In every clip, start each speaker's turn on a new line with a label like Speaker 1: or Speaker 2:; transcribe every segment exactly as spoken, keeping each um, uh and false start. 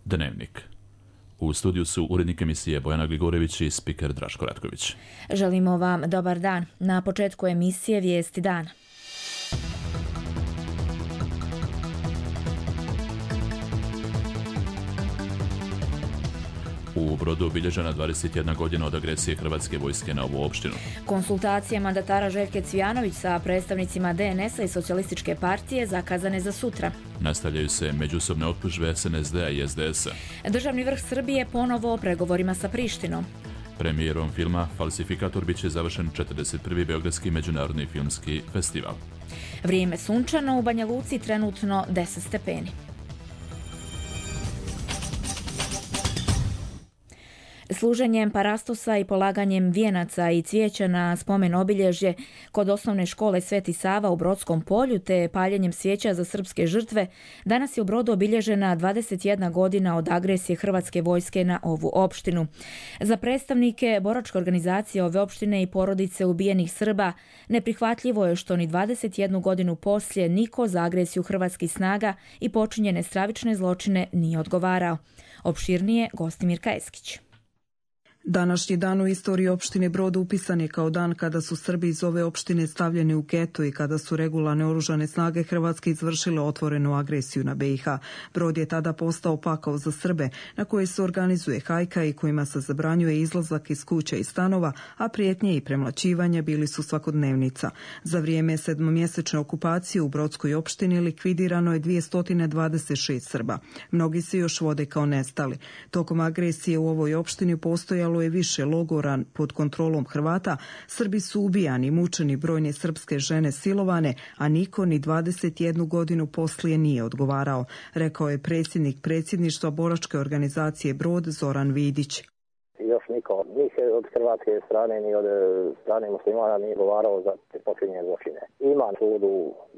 Speaker 1: Dnevnik. U studiju su urednik emisije Bojana Gligorević i spiker Draško Ratković.
Speaker 2: Želimo vam dobar dan. Na početku emisije Vijesti dana.
Speaker 1: U Brodu obilježena dvadeset jedna godina od agresije Hrvatske vojske na ovu opštinu.
Speaker 2: Konsultacije mandatara Željke Cvijanović sa predstavnicima D N S-a i Socijalističke partije zakazane za sutra.
Speaker 1: Nastavljaju se međusobne optužbe S N S D-a i S D S-a.
Speaker 2: Državni vrh Srbije ponovo o pregovorima sa Prištinom.
Speaker 1: Premijerom filma Falsifikator bit će završen četrdeset prvi Beogradski međunarodni filmski festival.
Speaker 2: Vrijeme sunčano, u Banja Luci trenutno deset stepeni. Služenjem parastosa i polaganjem vijenaca i cvijeća na spomen obilježje kod osnovne škole Sveti Sava u Brodskom polju te paljenjem svijeća za srpske žrtve, danas je u Brodu obilježena dvadeset jedna godina od agresije Hrvatske vojske na ovu opštinu. Za predstavnike boračke organizacije ove opštine i porodice ubijenih Srba neprihvatljivo je što ni dvadeset jednu godinu poslije niko za agresiju hrvatskih snaga i počinjene stravične zločine nije odgovarao. Opširnije Gostimir Kajeskić.
Speaker 3: Današnji dan u istoriji opštine Brod upisan je kao dan kada su Srbi iz ove opštine stavljeni u geto i kada su regularne oružane snage Hrvatske izvršile otvorenu agresiju na B i H. Brod je tada postao pakao za Srbe, na koje se organizuje hajka i kojima se zabranjuje izlazak iz kuća i stanova, a prijetnje i premlaćivanje bili su svakodnevnica. Za vrijeme sedmomjesečne okupacije u Brodskoj opštini likvidirano je dvjesto dvadeset šest Srba. Mnogi se još vode kao nestali. Tokom agresije u ovoj opštini postojalo je više logora pod kontrolom Hrvata, Srbi su ubijani, mučeni, brojne srpske žene silovane, a niko ni dvadeset jednu godinu poslije nije odgovarao, rekao je predsjednik predsjedništva boračke organizacije Brod Zoran Vidić.
Speaker 4: Još niko, njih od hrvatske strane ni od strane muslimana nije odgovarao za te počinjene zločine. Ima sud u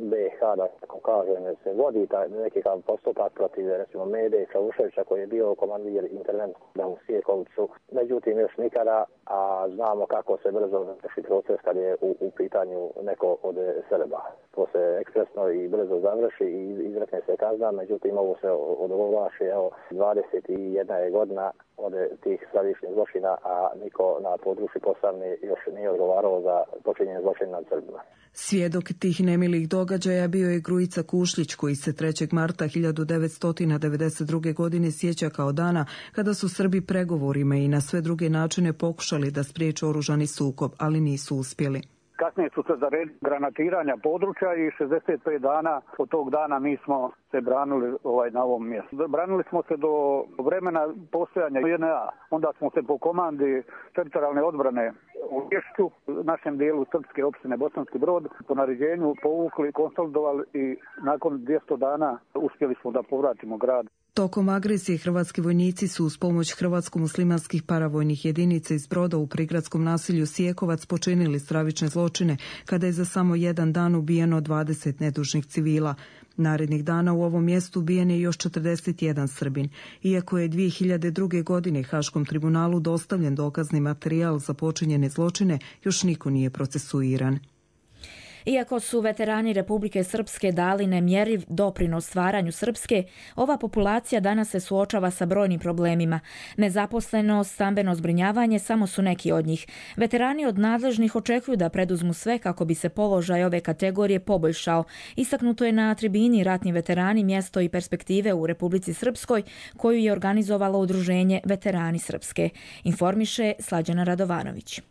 Speaker 4: B i H, da tako kažem, se vodi taj neki postupak protiv, recimo, Mede Čavuševića koji je bio komandir interventna u Sijekovcu. Međutim, još nikada, a znamo kako se brzo završi proces kad je u, u pitanju neko od Srba. To se ekspresno i brzo završi i izrekne se kazna, međutim, ovo se odogovlaši, evo, dvadeset jedna je godina od tih stravičnih zločina, a niko na području Posavine još nije odgovarao za počinjenje zločina nad Srbima.
Speaker 3: Svjedok tih nemilih događaja bio je Grujica Kušlić, koji se trećeg marta hiljadu devetsto devedeset druge. godine sjeća kao dana kada su Srbi pregovorima i na sve druge načine pokušali da spriječe oružani sukob, ali nisu uspjeli.
Speaker 5: Kasnije su se zaredili granatiranja područja i šezdeset pet dana od tog dana mi smo se branili ovaj, na ovom mjestu. Branili smo se do vremena postojanja J N A. Onda smo se po komandi teritorijalne odbrane u Lješću, našem dijelu srpske opštine Bosanski Brod, po naređenju povukli, konsolidovali i nakon dvjesto dana uspjeli smo da povratimo grad.
Speaker 3: Tokom agresije hrvatski vojnici su uz pomoć hrvatsko-muslimanskih paravojnih jedinica iz Broda u prigradskom nasilju Sijekovac počinili stravične zločine kada je za samo jedan dan ubijeno dvadeset nedužnih civila. Narednih dana u ovom mjestu ubijen je još četrdeset jedan Srbin. Iako je dvije hiljade druge. godine Haškom tribunalu dostavljen dokazni materijal za počinjene zločine, još niko nije procesuiran.
Speaker 2: Iako su veterani Republike Srpske dali nemjeriv doprinos stvaranju Srpske, ova populacija danas se suočava sa brojnim problemima. Nezaposlenost, stambeno zbrinjavanje samo su neki od njih. Veterani od nadležnih očekuju da preduzmu sve kako bi se položaj ove kategorije poboljšao. Istaknuto je na tribini Ratni veterani, mjesto i perspektive u Republici Srpskoj, koju je organizovalo udruženje Veterani Srpske. Informiše Slađana Radovanović.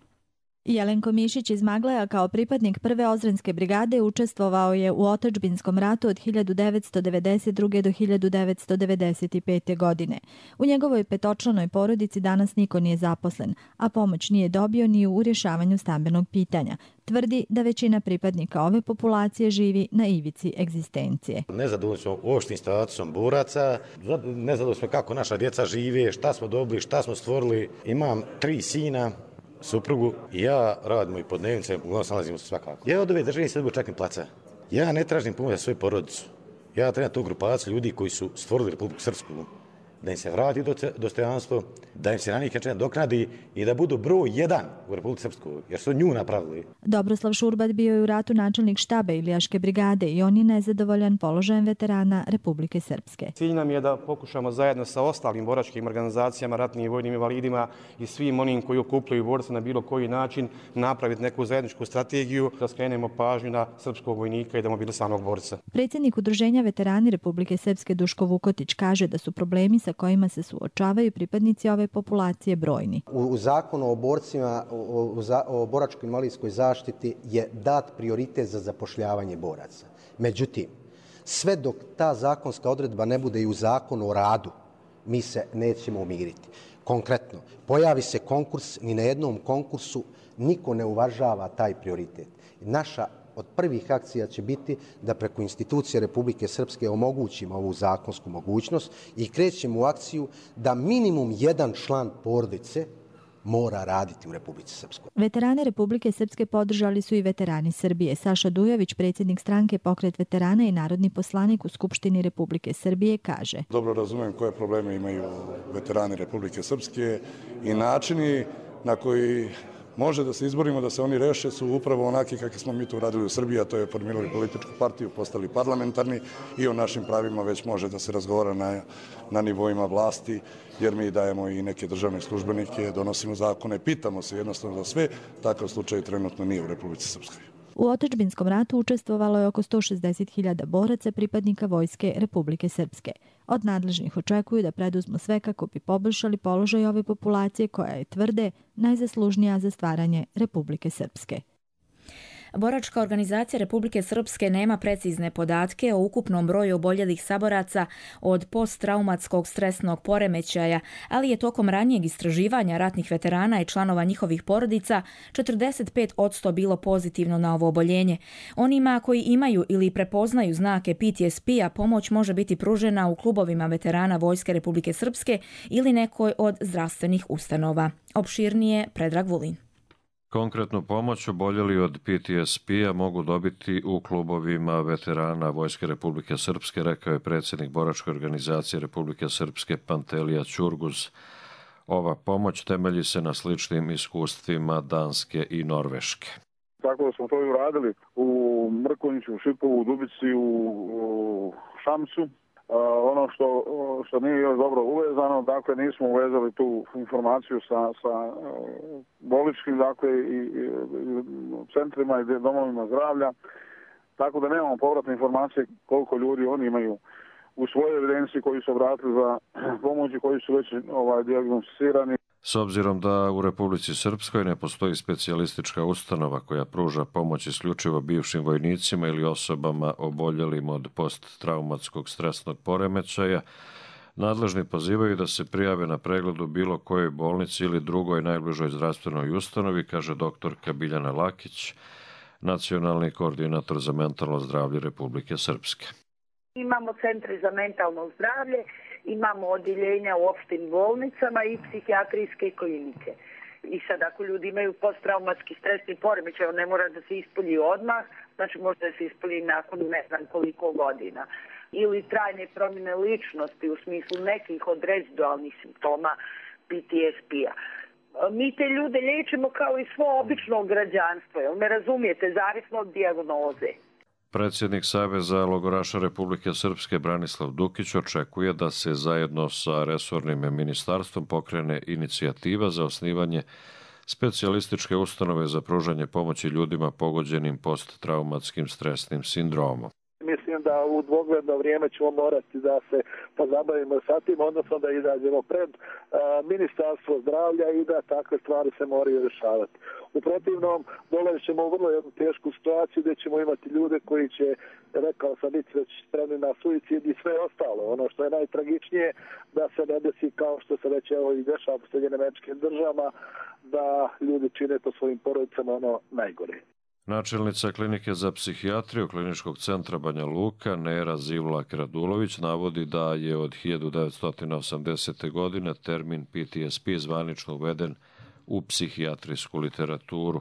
Speaker 6: Jelenko Mišić iz Magleja kao pripadnik prve Ozrenske brigade učestvovao je u otadžbinskom ratu od hiljadu devetsto devedeset druge. do hiljadu devetsto devedeset pete. godine. U njegovoj petočlanoj porodici danas niko nije zaposlen, a pomoć nije dobio ni u rješavanju stambenog pitanja. Tvrdi da većina pripadnika ove populacije živi na ivici egzistencije.
Speaker 7: Nezadovoljni smo uopštim statusom boraca, nezadovoljni smo kako naša djeca žive, šta smo dobili, šta smo stvorili. Imam tri sina, suprugu i ja radimo i po dnevnice, uglavnom se nalazimo svakako. Ja od ove države se čekam placa. Ja ne tražim pomoć za svoju porodicu. Ja trebam tu grupaciju ljudi koji su stvorili Republiku Srpsku. da im se vrati dostojanstvo, da im se na njih doknadi i da budu broj jedan u Republici Srpskoj, jer su nju napravili.
Speaker 6: Dobroslav Šurbat bio je u ratu načelnik štaba Ilijaške brigade i on je nezadovoljan položajem veterana Republike Srpske.
Speaker 8: Cilj nam je da pokušamo zajedno sa ostalim boračkim organizacijama, ratnim i vojnim invalidima i svim onim koji okupljaju borce na bilo koji način napraviti neku zajedničku strategiju, da skrenemo pažnju na srpskog vojnika i demobilisanog borca.
Speaker 6: Predsjednik Udruženja veterani Republike Srpske Duško Vukotić kaže da su problemi sa kojima se suočavaju pripadnici ove populacije brojni.
Speaker 9: U, u zakonu o borcima, o, o, o boračkoj invalidskoj zaštiti je dat prioritet za zapošljavanje boraca. Međutim, sve dok ta zakonska odredba ne bude i u zakonu o radu, mi se nećemo umiriti. Konkretno, pojavi se konkurs, ni na jednom konkursu niko ne uvažava taj prioritet. Naša od prvih akcija će biti da preko institucije Republike Srpske omogućimo ovu zakonsku mogućnost i krećemo u akciju da minimum jedan član porodice mora raditi u Republici Srpskoj.
Speaker 6: Veterane Republike Srpske podržali su i veterani Srbije. Saša Dujović, predsjednik stranke Pokret veterana i narodni poslanik u Skupštini Republike Srbije, kaže:
Speaker 10: Dobro razumijem koje probleme imaju veterani Republike Srpske i načini na koji može da se izborimo da se oni reše su upravo onaki kakvi smo mi tu radili u Srbiji, a to je formirali političku partiju, postali parlamentarni i o našim pravima već može da se razgovara na, na nivoima vlasti, jer mi dajemo i neke državne službenike, donosimo zakone, pitamo se jednostavno za sve. Takav slučaj trenutno nije u Republici Srpskoj.
Speaker 6: U otadžbinskom ratu učestvovalo je oko sto šezdeset hiljada boraca pripadnika Vojske Republike Srpske. Od nadležnih očekuju da preduzmu sve kako bi poboljšali položaj ove populacije koja je, tvrde, najzaslužnija za stvaranje Republike Srpske.
Speaker 2: Boračka organizacija Republike Srpske nema precizne podatke o ukupnom broju oboljelih saboraca od posttraumatskog stresnog poremećaja, ali je tokom ranijeg istraživanja ratnih veterana i članova njihovih porodica četrdeset pet posto bilo pozitivno na ovo oboljenje. Onima koji imaju ili prepoznaju znake P T S P-a pomoć može biti pružena u klubovima veterana Vojske Republike Srpske ili nekoj od zdravstvenih ustanova. Opširnije Predrag Vulin.
Speaker 11: Konkretnu pomoć oboljeli od P T S P-a mogu dobiti u klubovima veterana Vojske Republike Srpske, rekao je predsjednik Boračke organizacije Republike Srpske Pantelija Ćurguz. Ova pomoć temelji se na sličnim iskustvima Danske i Norveške.
Speaker 5: Tako da smo to i uradili u Mrkonjiću, u Šipovu, u Dubici, u, u Šamcu. Uh, ono što, što nije još dobro uvezano, dakle nismo uvezali tu informaciju sa, sa uh, bolničkim, dakle i, i, i centrima i domovima zdravlja, tako da nemamo povratne informacije koliko ljudi oni imaju u svojoj evidenciji koji su obratili za pomoći, koji su već ovaj, dijagnosticirani.
Speaker 11: S obzirom da u Republici Srpskoj ne postoji specijalistička ustanova koja pruža pomoć isključivo bivšim vojnicima ili osobama oboljelim od posttraumatskog stresnog poremećaja, nadležni pozivaju da se prijave na pregled u bilo kojoj bolnici ili drugoj najbližoj zdravstvenoj ustanovi, kaže doktorka Biljana Lakić, nacionalni koordinator za mentalno zdravlje Republike Srpske.
Speaker 12: Imamo centre za mentalno zdravlje, imamo odjeljenja u opštim bolnicama i psihijatrijske klinike. I sad ako ljudi imaju posttraumatski stresni poremećaj, on ne mora da se ispolji odmah, znači može da se ispolji nakon ne znam koliko godina. Ili trajne promjene ličnosti u smislu nekih od rezidualnih simptoma P T S P-a. Mi te ljude liječimo kao i svo obično građanstvo, jel me razumijete, zavisno od dijagnoze.
Speaker 11: Predsjednik Saveza logoraša Republike Srpske Branislav Dukić očekuje da se zajedno sa resornim ministarstvom pokrene inicijativa za osnivanje specijalističke ustanove za pružanje pomoći ljudima pogođenim posttraumatskim stresnim sindromom.
Speaker 5: Mislim da u dvogledno vrijeme ćemo morati da se pozabavimo sa tim, odnosno da izađemo pred a, Ministarstvo zdravlja i da takve stvari se moraju rješavati. U protivnom, dolazit ćemo u vrlo jednu tešku situaciju gdje ćemo imati ljude koji će, rekao sam, biti već spremni na suicid i sve ostalo. Ono što je najtragičnije, da se ne desi kao što se već evo i dešava u Sjedinjenim Američkim Državama, da ljudi čine to svojim porodicama ono najgore.
Speaker 11: Načelnica klinike za psihijatriju Kliničkog centra Banja Luka, Nera Zivlak-Radulović, navodi da je od hiljadu devetsto osamdesete. godine termin P T S P zvanično uveden u psihijatrijsku literaturu.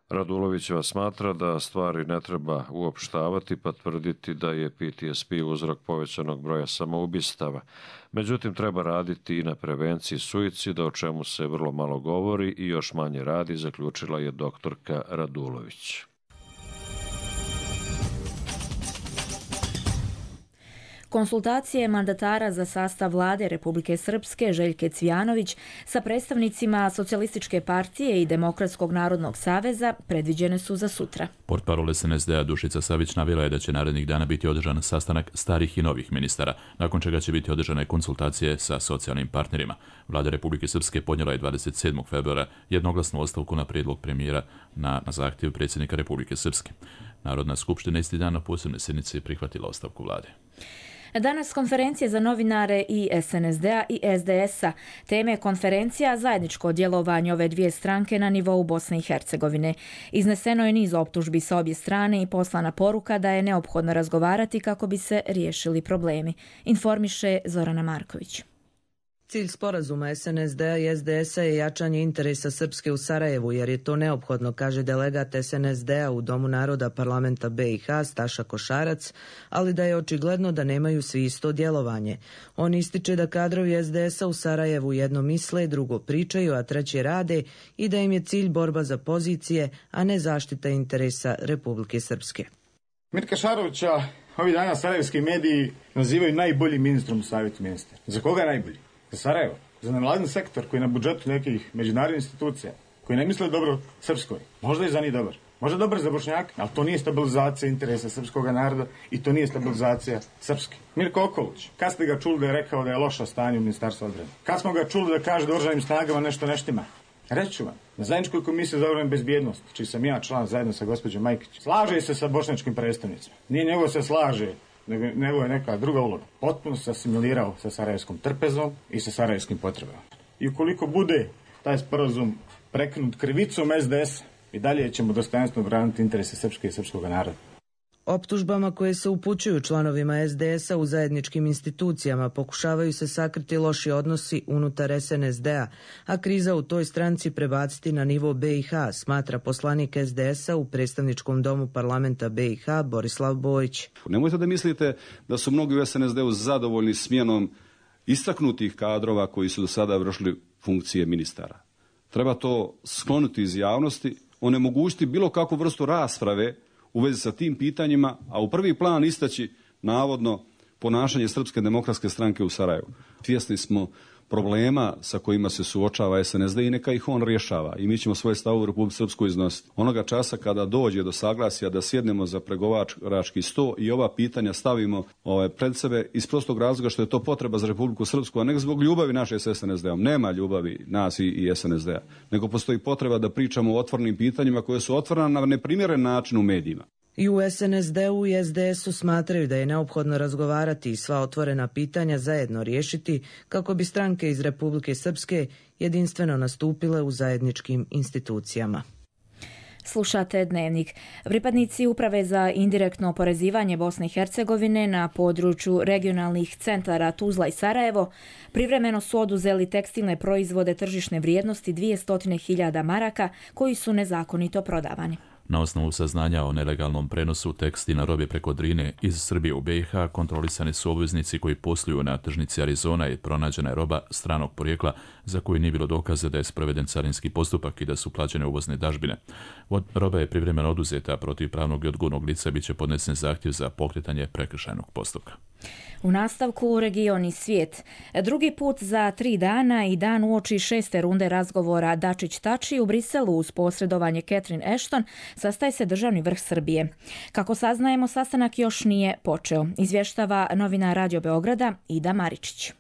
Speaker 11: Radulovićeva smatra da stvari ne treba uopštavati pa tvrditi da je P T S P uzrok povećanog broja samoubistava. Međutim, treba raditi i na prevenciji suicida, o čemu se vrlo malo govori i još manje radi, zaključila je doktorka Radulović.
Speaker 2: Konsultacije mandatara za sastav vlade Republike Srpske Željke Cvijanović sa predstavnicima Socijalističke partije i Demokratskog narodnog saveza predviđene su za sutra.
Speaker 1: Portparol S N S D-a Dušica Savić navela je da će narednih dana biti održan sastanak starih i novih ministara, nakon čega će biti održane konsultacije sa socijalnim partnerima. Vlada Republike Srpske podnijela je dvadeset sedmog februara jednoglasnu ostavku na prijedlog premijera na, na zahtjev predsjednika Republike Srpske. Narodna skupština isti dan na posebne sjednici prihvatila ostavku vlade.
Speaker 2: Danas konferencije za novinare i S N S D-a i S D S-a. Teme konferencija zajedničko djelovanje ove dvije stranke na nivou Bosne i Hercegovine. Izneseno je niz optužbi sa obje strane i poslana poruka da je neophodno razgovarati kako bi se riješili problemi. Informiše Zorana Marković.
Speaker 13: Cilj sporazuma S N S D-a i S D S-a je jačanje interesa Srpske u Sarajevu, jer je to neophodno, kaže delegat S N S D-a u Domu naroda parlamenta B i H Staša Košarac, ali da je očigledno da nemaju svi isto djelovanje. On ističe da kadrovi S D S-a u Sarajevu jedno misle, drugo pričaju, a treće rade i da im je cilj borba za pozicije, a ne zaštita interesa Republike Srpske.
Speaker 14: Mirka Šarovića ovih dana sarajevski mediji nazivaju najboljim ministrom u savjetu ministara. Za koga je najbolji? Za Sarajevo, za nevladin sektor koji je na budžetu nekih međunarodnih institucija, koji ne misle dobro Srpskoj. Možda i za njih dobar. Možda dobar za Bošnjake, ali to nije stabilizacija interesa srpskog naroda i to nije stabilizacija Srpske. Mirko Okolić, kad ste ga čuli da je rekao da je loša stanje u Ministarstvu odbrane? Kad smo ga čuli da kaže da oružanim snagama nešto neštima? Reći ću vam, na zajedničkoj komisiji za obranu i bezbjednost, čiji sam ja član zajedno sa gospođom Majkić, slaže se sa bošnjačkim predstavnicima. Nije nego se slaže, nego je neka druga uloga. Potpuno se asimilirao sa sarajevskom trpezom i sa sarajevskim potrebama. I ukoliko bude taj sporazum prekinut krivicom S D S, i dalje ćemo dostojanstveno braniti interese srpske i srpskog naroda.
Speaker 13: Optužbama koje se upućuju članovima S D S-a u zajedničkim institucijama pokušavaju se sakriti loši odnosi unutar S N S D-a, a kriza u toj stranci prebaciti na nivo B i H, smatra poslanik S D S-a u predstavničkom domu parlamenta B i H Borislav Bojić.
Speaker 15: Nemojte da mislite da su mnogi u S N S D-u zadovoljni smjenom istaknutih kadrova koji su do sada vršili funkcije ministara. Treba to skloniti iz javnosti, onemogućiti bilo kakvu vrstu rasprave u vezi sa tim pitanjima, a u prvi plan istaći navodno ponašanje Srpske demokratske stranke u Sarajevu. Svjesni smo problema sa kojima se suočava S N S D i neka ih on rješava. I mi ćemo svoje stavove u Republiku Srpsku iznositi. Onoga časa kada dođe do saglasja da sjednemo za pregovarački sto i ova pitanja stavimo ovaj, pred sebe iz prostog razloga što je to potreba za Republiku Srpsku, a ne zbog ljubavi naše s S N S D-om. Nema ljubavi nas i, i S N S D-a. Nego postoji potreba da pričamo o otvorenim pitanjima koje su otvorena na neprimjeren način u medijima.
Speaker 13: I u S N S D-u i S D S-u smatraju da je neophodno razgovarati i sva otvorena pitanja zajedno riješiti kako bi stranke iz Republike Srpske jedinstveno nastupile u zajedničkim institucijama.
Speaker 2: Slušate Dnevnik. Pripadnici Uprave za indirektno oporezivanje Bosne i Hercegovine na području regionalnih centara Tuzla i Sarajevo privremeno su oduzeli tekstilne proizvode tržišne vrijednosti dvjesto hiljada maraka koji su nezakonito prodavani.
Speaker 1: Na osnovu saznanja o nelegalnom prenosu tekstilne robe preko Drine iz Srbije u B i H kontrolisani su obveznici koji posluju na tržnici Arizona i pronađena je roba stranog porijekla za koju nije bilo dokaza da je sproveden carinski postupak i da su plaćene uvozne dažbine. Roba je privremeno oduzeta, protiv pravnog i odgovornog lica biće podnesen zahtjev za pokretanje prekršajnog postupka.
Speaker 2: U nastavku region i svijet. Drugi put za tri dana i dan uoči šeste runde razgovora Dačić-Tači u Briselu uz posredovanje Catherine Ashton sastaje se državni vrh Srbije. Kako saznajemo, sastanak još nije počeo, izvještava novinar Radio Beograda Ida Maričić.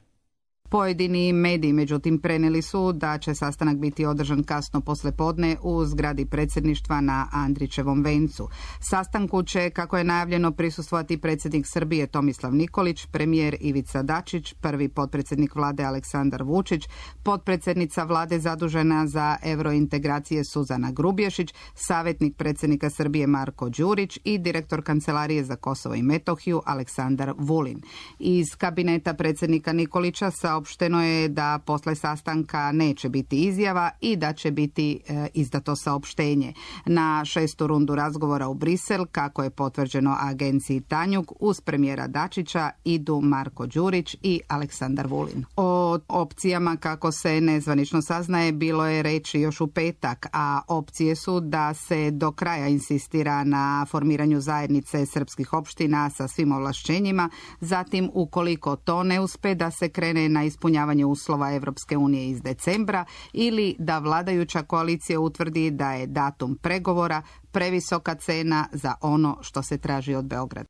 Speaker 16: Pojedini mediji, međutim, prenijeli su da će sastanak biti održan kasno poslijepodne u zgradi predsjedništva na Andrićevom vencu. Sastanku će, kako je najavljeno, prisustvovati predsjednik Srbije Tomislav Nikolić, premijer Ivica Dačić, prvi potpredsjednik vlade Aleksandar Vučić, potpredsjednica vlade zadužena za eurointegracije Suzana Grubješić, savjetnik predsjednika Srbije Marko Đurić i direktor Kancelarije za Kosovo i Metohiju Aleksandar Vulin. Iz kabineta predsjednika Nikolića sa saopšteno je da posle sastanka neće biti izjava i da će biti e, izdato saopštenje. Na šestu rundu razgovora u Brisel, kako je potvrđeno agenciji Tanjug, uz premijera Dačića idu Marko Đurić i Aleksandar Vulin. O opcijama, kako se nezvanično saznaje, bilo je reči još u petak, a opcije su da se do kraja insistira na formiranju zajednice srpskih opština sa svim ovlašćenjima, zatim ukoliko to ne uspe da se krene na ispunjavanje uslova Evropske unije iz decembra ili da vladajuća koalicija utvrdi da je datum pregovora previsoka cena za ono što se traži od Beograda.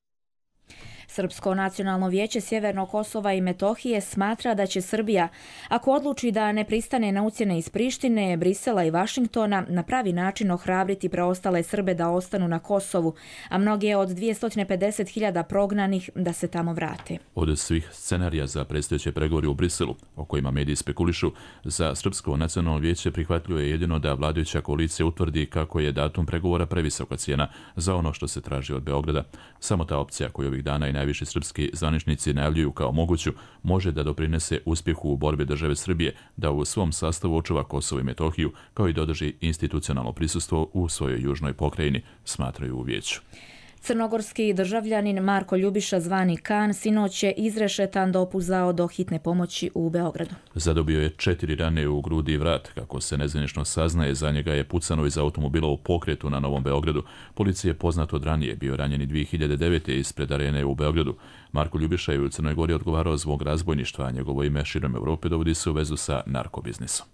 Speaker 2: Srpsko nacionalno vijeće Sjevernog Kosova i Metohije smatra da će Srbija, ako odluči da ne pristane na ucjene iz Prištine, Brisela i Vašingtona, na pravi način ohrabriti preostale Srbe da ostanu na Kosovu, a mnoge od dvjesto pedeset hiljada prognanih da se tamo vrate.
Speaker 1: Od svih scenarija za predstojeće pregovore u Briselu, o kojima mediji spekulišu, za Srpsko nacionalno vijeće prihvatljivo je jedino da vladajuća koalicija utvrdi kako je datum pregovora previsoka cijena za ono što se traži od Beograda. Samo ta opcija koju ovih dana i najviši srpski zvaničnici najavljuju kao moguću može da doprinese uspjehu u borbi države Srbije da u svom sastavu očuva Kosovo i Metohiju, kao i dodrži institucionalno prisustvo u svojoj južnoj pokrajini, smatraju u vijeću.
Speaker 2: Crnogorski državljanin Marko Ljubiša zvani Kan sinoć je izrešetan dopuzao do hitne pomoći u Beogradu.
Speaker 1: Zadobio je četiri rane u grudi i vrat. Kako se nezvanično saznaje, za njega je pucano iz automobila u pokretu na Novom Beogradu. Policija je poznato od ranije bio ranjen i dvije hiljade devete. ispred arene u Beogradu. Marko Ljubiša je u Crnoj Gori odgovarao zbog razbojništva, a njegovo ime širom Europe dovodi se u vezu sa narkobiznisom.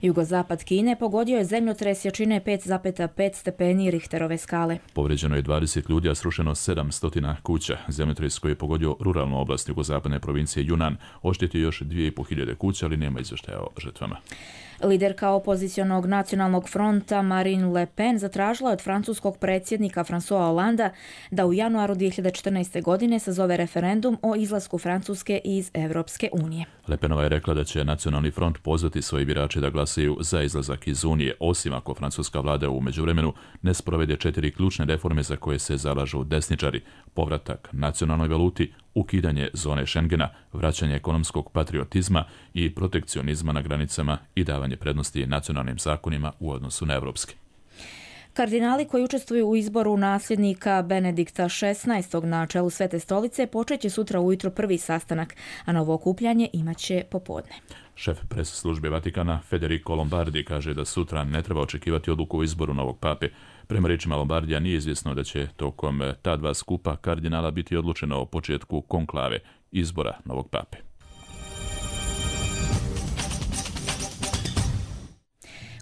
Speaker 2: Jugozapad Kine pogodio je zemljotres jačine pet zarez pet stepeni Richterove skale.
Speaker 1: Povređeno je dvadeset ljudi, a srušeno sedamsto kuća. Zemljotres koji je pogodio ruralnu oblast jugozapadne provincije Yunan oštetio još dvije i po hiljade kuća, ali nema izvještaja o žrtvama.
Speaker 2: Liderka opozicionog nacionalnog fronta Marine Le Pen zatražila od francuskog predsjednika François Hollanda da u januaru dvije hiljade četrnaeste. godine sazove referendum o izlasku Francuske iz Evropske unije.
Speaker 1: Le Penova je rekla da će nacionalni front pozvati svoje birače da glasaju za izlazak iz Unije, osim ako francuska vlada u međuvremenu ne sprovede četiri ključne reforme za koje se zalažu desničari: povratak nacionalnoj valuti, ukidanje zone Schengena, vraćanje ekonomskog patriotizma i protekcionizma na granicama i davanje prednosti nacionalnim zakonima u odnosu na evropske.
Speaker 2: Kardinali koji učestvuju u izboru nasljednika Benedikta šesnaestog na čelu Svete stolice počeće sutra ujutro prvi sastanak, a novo okupljanje imaće popodne.
Speaker 1: Šef pres službe Vatikana Federico Lombardi kaže da sutra ne treba očekivati odluku o izboru novog pape. Prema rečima Lombardija nije izvjesno da će tokom ta dva skupa kardinala biti odlučeno o početku konklave izbora novog pape.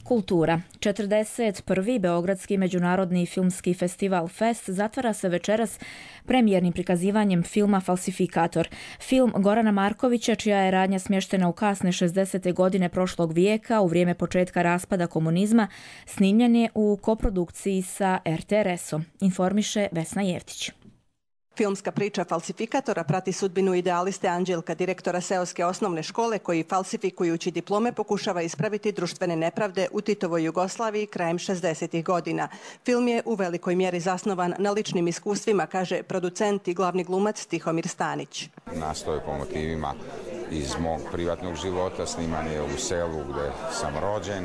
Speaker 2: Kultura. četrdeset prvi. Beogradski međunarodni filmski festival Fest zatvara se večeras premijernim prikazivanjem filma Falsifikator. Film Gorana Markovića, čija je radnja smještena u kasne šezdesete godine prošlog vijeka, u vrijeme početka raspada komunizma, snimljen je u koprodukciji sa er te er esom, informiše Vesna Jevtić.
Speaker 17: Filmska priča Falsifikatora prati sudbinu idealiste Anđelka, direktora seoske osnovne škole, koji falsifikujući diplome pokušava ispraviti društvene nepravde u Titovoj Jugoslaviji krajem šezdesetih godina. Film je u velikoj mjeri zasnovan na ličnim iskustvima, kaže producent i glavni glumac Tihomir Stanić.
Speaker 18: Nastoje po motivima iz mog privatnog života, sniman je u selu gdje sam rođen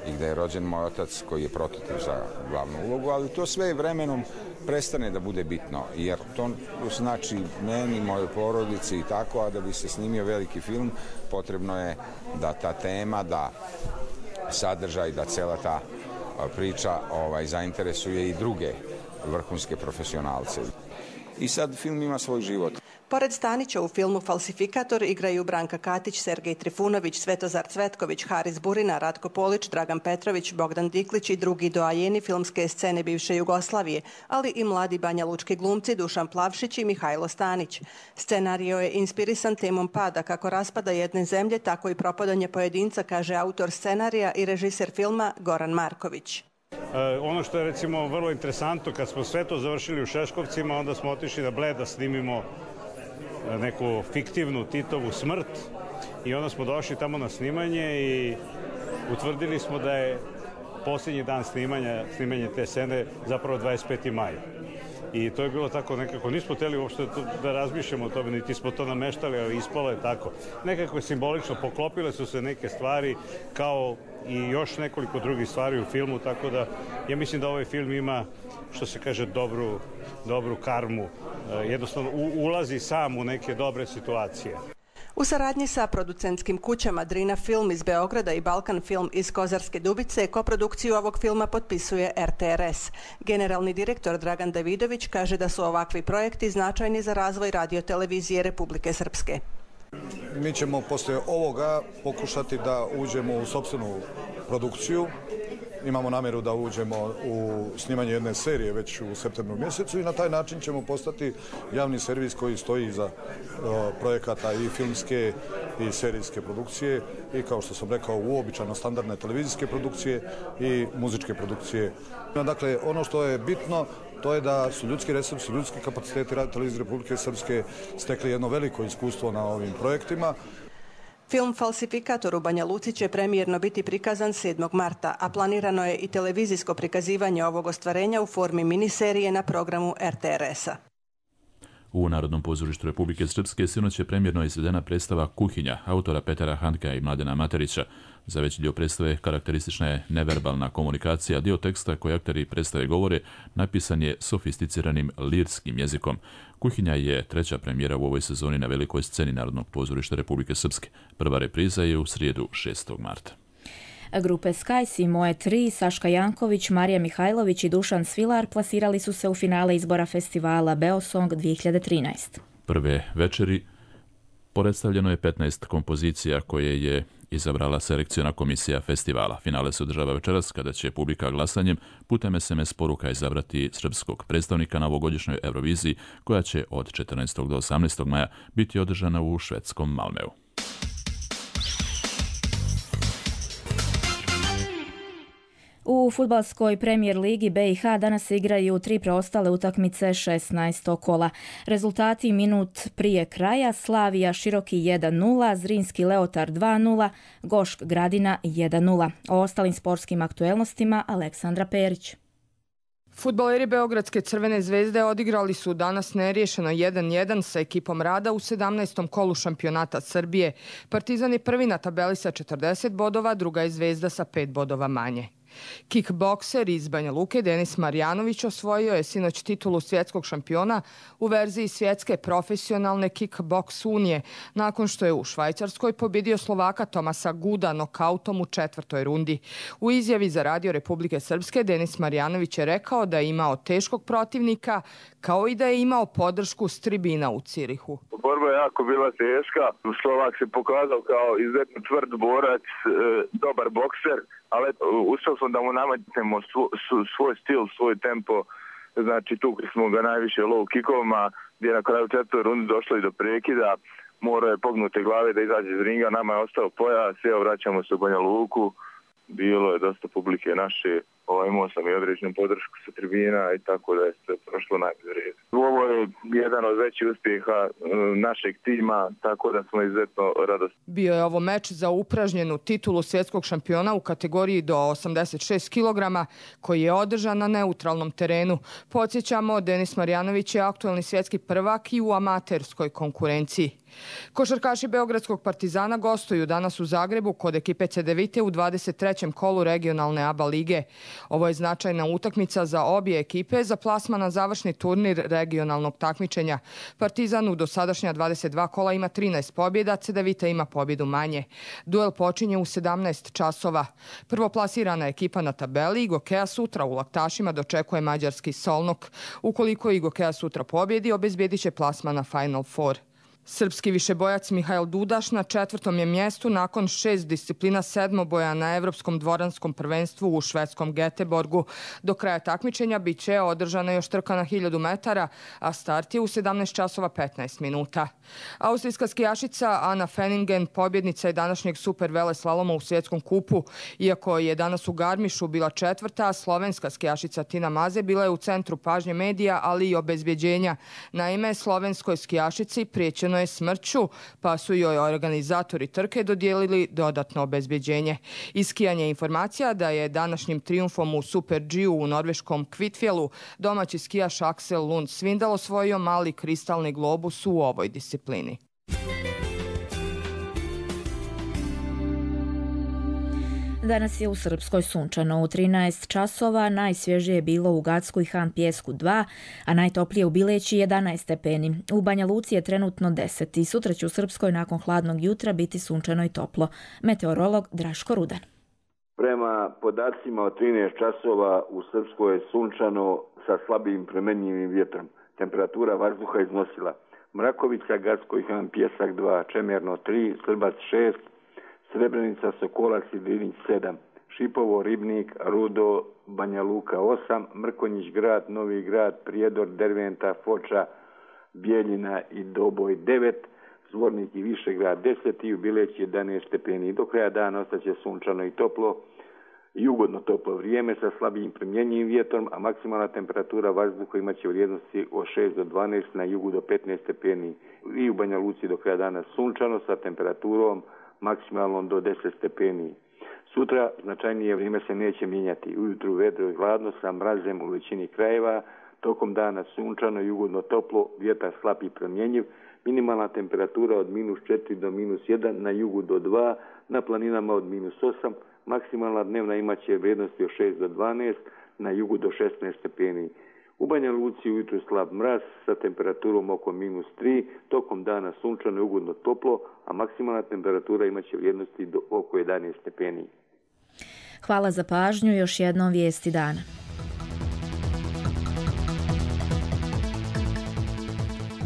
Speaker 18: i gdje je rođen moj otac, koji je prototip za glavnu ulogu, ali to sve vremenom prestane da bude bitno, jer to znači meni, mojoj porodici i tako, a da bi se snimio veliki film, potrebno je da ta tema, da sadržaj, da cela ta priča ovaj, zainteresuje i druge vrhunske profesionalce. I sad film ima svoj život.
Speaker 17: Pored Stanića u filmu Falsifikator igraju Branka Katić, Sergej Trifunović, Svetozar Cvetković, Haris Burina, Ratko Polić, Dragan Petrović, Bogdan Diklić i drugi doajeni filmske scene bivše Jugoslavije, ali i mladi banjalučki glumci Dušan Plavšić i Mihajlo Stanić. Scenario je inspirisan temom pada, kako raspada jedne zemlje, tako i propadanje pojedinca, kaže autor scenarija i režiser filma Goran Marković.
Speaker 19: E, ono što je recimo vrlo interesantno, kad smo sve to završili u Šeškovcima, onda smo otišli na Bled da snimimo neku fiktivnu Titovu smrt i onda smo došli tamo na snimanje i utvrdili smo da je posljednji dan snimanja, snimanje te scene zapravo dvadeset peti maj. I to je bilo tako nekako, nismo htjeli uopšte da razmišljamo o tome, niti smo to nameštali, ali ispalo je tako. Nekako je simbolično, poklopile su se neke stvari kao i još nekoliko drugih stvari u filmu, tako da ja mislim da ovaj film ima, što se kaže, dobru, dobru karmu. Jednostavno ulazi sam u neke dobre situacije.
Speaker 17: U saradnji sa producentskim kućama Drina Film iz Beograda i Balkan Film iz Kozarske Dubice, koprodukciju ovog filma potpisuje er te er es. Generalni direktor Dragan Davidović kaže da su ovakvi projekti značajni za razvoj radiotelevizije Republike Srpske.
Speaker 10: Mi ćemo poslije ovoga pokušati da uđemo u sopstvenu produkciju. Imamo namjeru da uđemo u snimanje jedne serije već u septembru mjesecu i na taj način ćemo postati javni servis koji stoji iza projekata i filmske i serijske produkcije i, kao što sam rekao, uobičajeno standardne televizijske produkcije i muzičke produkcije. Dakle, ono što je bitno, to je da su ljudski resursi, ljudski kapaciteti radiotelevizije Republike Srpske stekli jedno veliko iskustvo na ovim projektima.
Speaker 17: Film Falsifikator u Banja Luci će premijerno biti prikazan sedmog marta, a planirano je i televizijsko prikazivanje ovog ostvarenja u formi miniserije na programu er te er es-a.
Speaker 1: U Narodnom pozorištu Republike Srpske sinoć je premijerno izvedena predstava Kuhinja autora Petera Handkea i Mladena Materića. Za veći dio predstave karakteristična je neverbalna komunikacija, dio teksta koji akteri predstave govore napisan je sofisticiranim lirskim jezikom. Kuhinja je treća premijera u ovoj sezoni na velikoj sceni Narodnog pozorišta Republike Srpske. Prva repriza je u srijedu šestog marta.
Speaker 2: Grupe Skies i Moje tri, Saška Janković, Marija Mihajlović i Dušan Svilar plasirali su se u finale izbora festivala Beosong dvije hiljade trinaest.
Speaker 1: Prve večeri predstavljeno je petnaest kompozicija koje je izabrala selekciona komisija festivala. Finale se održava večeras kada će publika glasanjem putem es em es poruka izabrati srpskog predstavnika na ovogodišnjoj Euroviziji koja će od četrnaestog do osamnaestog maja biti održana u švedskom Malmeu.
Speaker 2: U fudbalskoj premijer ligi be i ha danas se igraju tri preostale utakmice šesnaestog kola. Rezultati minut prije kraja: Slavija Široki jedan nula, Zrinski Leotar dva nula, Gošk Gradina jedan nula. O ostalim sportskim aktuelnostima Aleksandra Perić.
Speaker 20: Fudbaleri Beogradske Crvene zvezde odigrali su danas neriješeno jedan jedan sa ekipom Rada u sedamnaestom kolu šampionata Srbije. Partizan je prvi na tabeli sa četrdeset bodova, druga je Zvezda sa pet bodova manje. Kickbokser iz Banja Luke Denis Marjanović osvojio je sinoć titulu svjetskog šampiona u verziji svjetske profesionalne kickboks unije, nakon što je u Švajcarskoj pobjedio Slovaka Tomasa Guda nokautom u četvrtoj rundi. U izjavi za Radio Republike Srpske Denis Marjanović je rekao da je imao teškog protivnika, kao i da je imao podršku s tribina u Cirihu.
Speaker 21: Borba je jako bila teška. Slovak se pokazao kao izuzetno tvrd borac, dobar bokser, ali uspio smo da mu nametnemo svoj stil, svoj tempo. Znači, tukli smo ga najviše low kickovima, gdje je na kraju četvrtoj rundi došlo i do prekida. Morao je pognute glave da izađe iz ringa, nama je ostao pojas, evo vraćamo se u Banja Luku. Bilo je dosta publike naše, ovo, imao sam i određenu podršku sa tribina i tako da je sve prošlo najbolje red. Ovo je jedan od većih uspjeha našeg tima, tako da smo izuzetno radosni.
Speaker 20: Bio je ovo meč za upražnjenu titulu svjetskog šampiona u kategoriji do osamdeset šest kilograma, koji je održan na neutralnom terenu. Podsjećamo, Denis Marjanović je aktualni svjetski prvak i u amaterskoj konkurenciji. Košarkaši Beogradskog Partizana gostuju danas u Zagrebu kod ekipe Cedevite u dvadeset trećem kolu regionalne A B A lige. Ovo je značajna utakmica za obje ekipe za plasman na završni turnir regionalnog takmičenja. Partizan u dosadašnja dvadeset dva kola ima trinaest pobjeda, Cedevita ima pobjedu manje. Duel počinje u sedamnaest časova. Prvoplasirana ekipa na tabeli Igokea sutra u Laktašima dočekuje mađarski Solnok. Ukoliko Igokea sutra pobjedi, obezbjedit će plasman na Final Four. Srpski višebojac Mihajl Dudaš na četvrtom je mjestu nakon šest disciplina sedmoboja na Evropskom dvoranskom prvenstvu u švedskom Göteborgu. Do kraja takmičenja bit će održana još trka na hiljadu metara, a start je u sedamnaest časova petnaest minuta. Austrijska skijašica Anna Fenningen pobjednica je današnjeg super veleslaloma u svjetskom kupu. Iako je danas u Garmišu bila četvrta, slovenska skijašica Tina Maze bila je u centru pažnje medija, ali i obezbjeđenja. Naime, slovenskoj skijašici priječeno je smrću, pa su joj organizatori trke dodijelili dodatno obezbjeđenje. Iskijanje informacija da je današnjim trijumfom u Super G-u u norveškom Kvitfjelu domaći skijaš Aksel Lund Svindal osvojio mali kristalni globus u ovoj disciplini.
Speaker 2: Danas je u Srpskoj sunčano. U trinaest časova najsvježije je bilo u Gacku i Han Pjesku dva, a najtoplije u Bileći jedanaest stepeni. U Banja Luci je trenutno deset i sutra će u Srpskoj nakon hladnog jutra biti sunčano i toplo. Meteorolog Draško Rudan.
Speaker 4: Prema podacima od trinaest časova u Srpskoj je sunčano sa slabim premenjivim vjetrom. Temperatura vazduha iznosila Mrakovica, Gacko i Han Pjesak dva, Čemerno tri, Srbac šest, Srebrenica, Sokolac i Drinić sedam, Šipovo, Ribnik, Rudo, Banja Luka osam, Mrkonjić grad, Novi grad, Prijedor, Derventa, Foča, Bijeljina i Doboj devet, Zvornik i Višegrad deset i u Bileći jedanaest stepeni. Do kraja dana ostaće sunčano i toplo i ugodno toplo vrijeme sa slabijim premjenjivim vjetrom, a maksimalna temperatura vazduha imaće vrijednosti od šest do dvanaest, na jugu do petnaest stepeni. I u Banja Luci do kraja dana sunčano sa temperaturom maksimalno do deset stepeni. Sutra značajnije vrijeme se neće mijenjati. Ujutru vedro i hladno sa mrazem u većini krajeva, tokom dana sunčano i ugodno toplo, vjetar slab i promjenjiv, minimalna temperatura od minus četiri do minus jedan, na jugu do dva, na planinama od minus osam, maksimalna dnevna imaće vrijednosti od šest do dvanaest, na jugu do šesnaest stepeni. U Banja Luci ujutru slab mraz sa temperaturom oko minus tri, tokom dana sunčano i ugodno toplo, a maksimalna temperatura imaće vrijednosti do oko jedanaest stepeni.
Speaker 2: Hvala za pažnju, još jednom vijesti dana.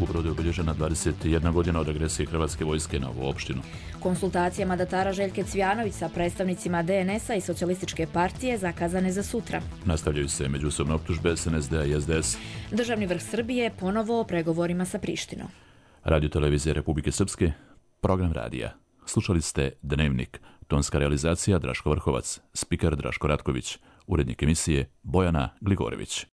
Speaker 1: U Brodu je obilježena dvadeset jedna godina od agresije Hrvatske vojske na ovu opštinu.
Speaker 2: Konsultacije mandatara Željke Cvijanović sa predstavnicima D N S-a i Socijalističke partije zakazane za sutra.
Speaker 1: Nastavljaju se međusobne optužbe S N S D-a i S D S.
Speaker 2: Državni vrh Srbije ponovo o pregovorima sa Prištinom.
Speaker 1: Radio televizije Republike Srpske, program radija. Slušali ste Dnevnik, tonska realizacija Draško Vrhovac, spiker Draško Ratković, urednik emisije Bojana Gligorević.